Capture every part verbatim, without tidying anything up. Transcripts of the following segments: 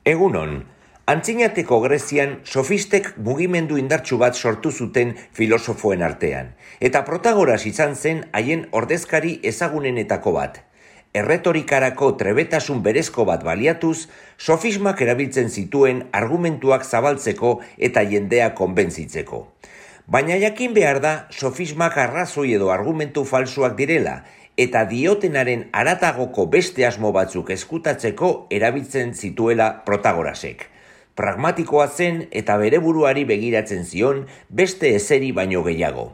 Egunon, antzinateko Grezian sofistek mugimendu indartsu bat sortu zuten filosofoen artean, eta Protagoras izan zen haien ordezkari ezagunenetako bat. Erretorikarako trebetasun berezko bat baliatuz, sofismak erabiltzen zituen argumentuak zabaltzeko eta jendea konbentzitzeko. Baina jakin behar da, sofismak arrazoi edo argumentu falsuak direla, eta diotenaren haratagoko beste asmo batzuk eskutatzeko erabiltzen zituela Protagorasek. Pragmatikoa zen eta bere buruari begiratzen zion beste ezeri baino gehiago.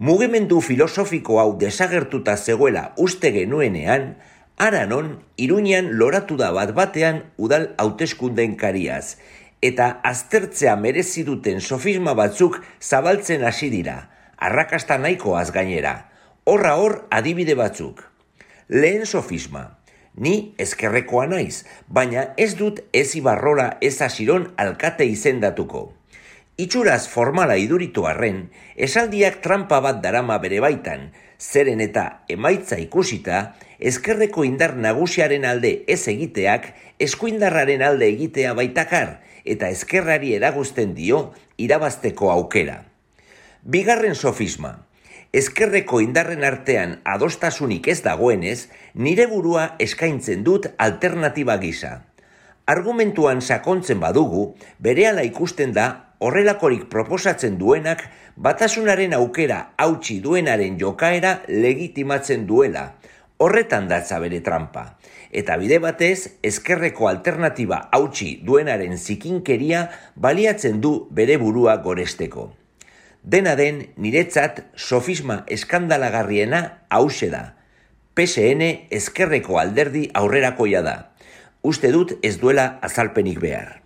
Mugimendu filosofiko hau desagertuta zegoela uste genuenean, hara non Iruñan loratu da bat batean udal hauteskundeen kariaz, eta aztertzea merezi duten sofisma batzuk zabaltzen hasi dira, arrakasta nahikoaz gainera. Horra hor adibide batzuk. Lehen sofisma. Ni ezkerrekoa naiz, baina ez dut ez Ibarrola ez Asiron alkate izendatuko. Itxuraz formala iduritu arren, esaldiak trampa bat darama bere baitan, zeren eta emaitza ikusita, ezkerreko indar nagusiaren alde ez egiteak, eskuindarraren alde egitea baitakar, eta ezkerrari eraguzten dio irabazteko aukera. Bigarren sofisma. Ezkerreko indarren artean adostasunik ez dagoenez, nire burua eskaintzen dut alternatiba gisa. Argumentuan sakontzen badugu, berehala ikusten da horrelakorik proposatzen duenak batasunaren aukera hautsi duenaren jokaera legitimatzen duela. Horretan datza bere trampa. Eta bide batez, ezkerreko alternatiba hautsi duenaren zikinkeria baliatzen du bere burua goresteko. Dena den, niretzat sofisma eskandalagarriena hauxe da. P S N ezkerreko alderdi aurrerakoia da. Uste dut ez duela azalpenik behar.